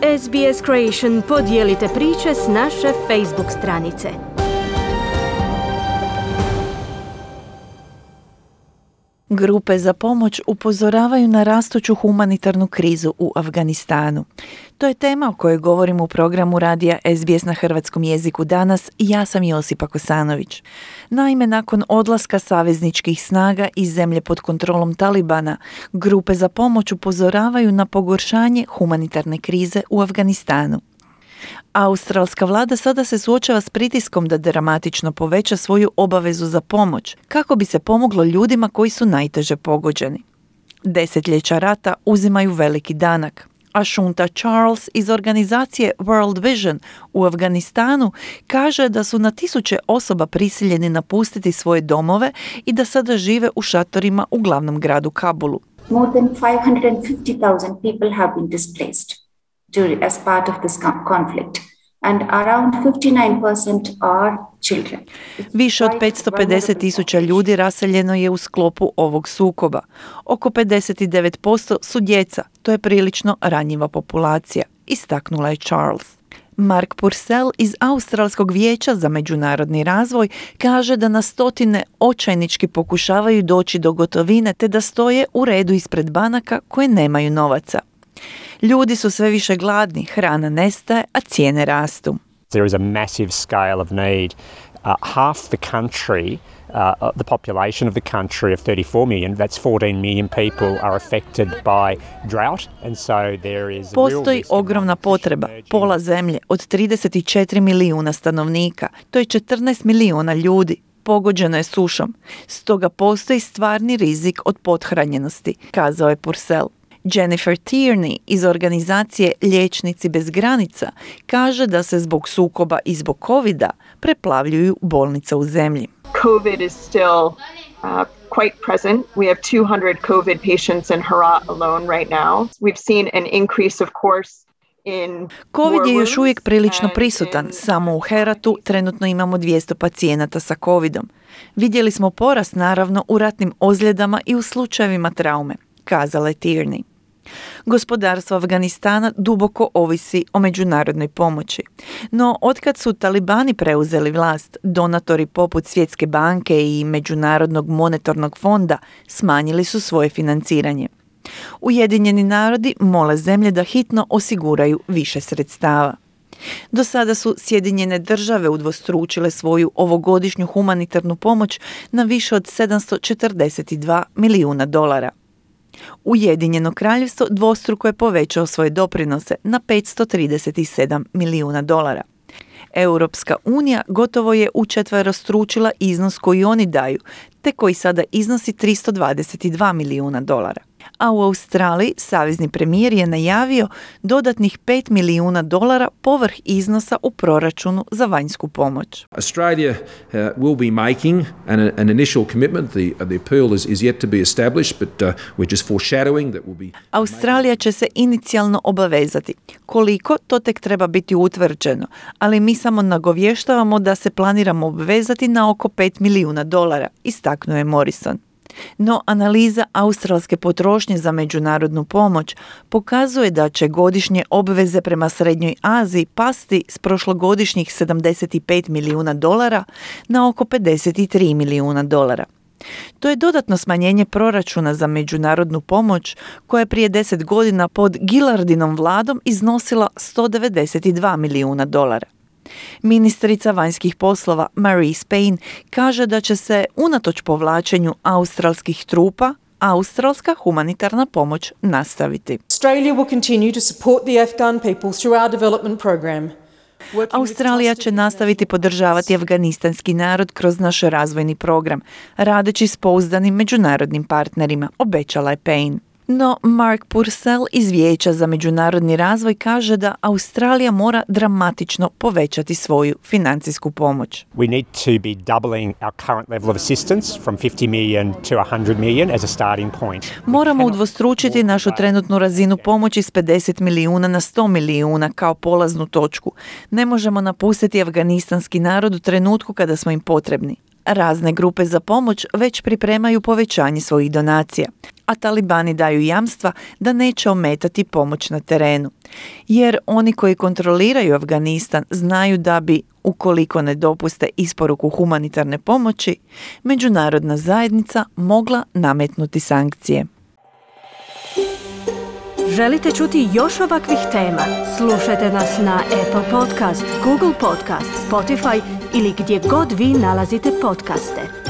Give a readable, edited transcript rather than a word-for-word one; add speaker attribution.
Speaker 1: SBS Creation podijelite priče s naše Facebook stranice.
Speaker 2: Grupe za pomoć upozoravaju na rastuću humanitarnu krizu u Afganistanu. To je tema o kojoj govorim u programu radija SBS na hrvatskom jeziku danas i ja sam Josipa Kosanović. Naime, nakon odlaska savezničkih snaga iz zemlje pod kontrolom Talibana, grupe za pomoć upozoravaju na pogoršanje humanitarne krize u Afganistanu. Australska vlada sada se suočava s pritiskom da dramatično poveća svoju obavezu za pomoć, kako bi se pomoglo ljudima koji su najteže pogođeni. Desetljeća rata uzimaju veliki danak, a Shunta Charles iz organizacije World Vision u Afganistanu kaže da su na tisuće osoba prisiljeni napustiti svoje domove i da sada žive u šatorima u glavnom gradu Kabulu.
Speaker 3: More than 550,000 people have been displaced as part of this conflict, and around 59% are children.
Speaker 2: Više od 550,000 ljudi raseljeno je u sklopu ovog sukoba. Oko 59% su djeca, to je prilično ranjiva populacija, istaknula je Charles. Mark Purcell iz Australskog vijeća za međunarodni razvoj kaže da na stotine očajnički pokušavaju doći do gotovine te da stoje u redu ispred banaka koje nemaju novaca. Ljudi su sve više gladni, hrana nestaje, a cijene rastu.
Speaker 4: There is a massive scale of need. Half the country, the population of the country of 34 million, that's 14 million people are affected by drought, and so there is
Speaker 2: Postoji ogromna potreba. Pola zemlje od 34 milijuna stanovnika, to je 14 milijuna ljudi, pogođeno je sušom. Stoga postoji stvarni rizik od pothranjenosti, kazao je Purcell. Jennifer Tierney iz organizacije Liječnici bez granica kaže da se zbog sukoba i zbog covida preplavljuju bolnice u zemlji.
Speaker 5: COVID is still quite present. We have 200 COVID patients in Herat alone right now. We've seen an increase, of course,
Speaker 2: Covid je još uvijek prilično prisutan. Samo u Heratu trenutno imamo 200 pacijenata sa Covidom. Vidjeli smo porast naravno u ratnim ozljedama i u slučajevima traume, kazala je Tierney. Gospodarstvo Afganistana duboko ovisi o međunarodnoj pomoći. No, otkad su talibani preuzeli vlast, donatori poput Svjetske banke i Međunarodnog monetarnog fonda smanjili su svoje financiranje. Ujedinjeni narodi mole zemlje da hitno osiguraju više sredstava. Do sada su Sjedinjene države udvostručile svoju ovogodišnju humanitarnu pomoć na više od $742 milijuna. Ujedinjeno kraljevstvo dvostruko je povećao svoje doprinose na $537 milijuna. Europska unija gotovo je učetverostručila iznos koji oni daju, te koji sada iznosi $322 milijuna. A u Australiji savezni premijer je najavio dodatnih $5 milijuna povrh iznosa u proračunu za vanjsku pomoć.
Speaker 6: Australia will be making an initial commitment. The appeal is yet to be established, but we're just foreshadowing that will be.
Speaker 2: Australija će se inicijalno obavezati. Koliko, to tek treba biti utvrđeno, ali mi samo nagovještavamo da se planiramo obvezati na oko $5 milijuna, istaknuo je Morrison. No analiza australske potrošnje za međunarodnu pomoć pokazuje da će godišnje obveze prema Srednjoj Aziji pasti s prošlogodišnjih $75 milijuna na oko $53 milijuna. To je dodatno smanjenje proračuna za međunarodnu pomoć koja je prije 10 godina pod Gillardinom vladom iznosila $192 milijuna. Ministrica vanjskih poslova Marise Payne kaže da će se unatoč povlačenju australskih trupa australska humanitarna pomoć nastaviti.
Speaker 7: Australia will continue to support the Afghan people through our development program.
Speaker 2: Australija će nastaviti podržavati afganistanski narod kroz naš razvojni program, radeći s pouzdanim međunarodnim partnerima, obećala je Payne. No, Mark Purcell iz Vijeća za međunarodni razvoj kaže da Australija mora dramatično povećati svoju financijsku pomoć.
Speaker 4: We need to be doubling our current level of assistance from 50 million to 100 million as a starting point.
Speaker 2: Moramo udvostručiti našu trenutnu razinu pomoći s 50 milijuna na 100 milijuna kao polaznu točku. Ne možemo napustiti afganistanski narod u trenutku kada smo im potrebni. Razne grupe za pomoć već pripremaju povećanje svojih donacija. a talibani daju jamstva da neće ometati pomoć na terenu. Jer oni koji kontroliraju Afganistan znaju da bi, ukoliko ne dopuste isporuku humanitarne pomoći, međunarodna zajednica mogla nametnuti sankcije.
Speaker 1: Želite čuti još ovakvih tema? Slušajte nas na Apple Podcast, Google Podcast, Spotify ili gdje god vi nalazite podcaste.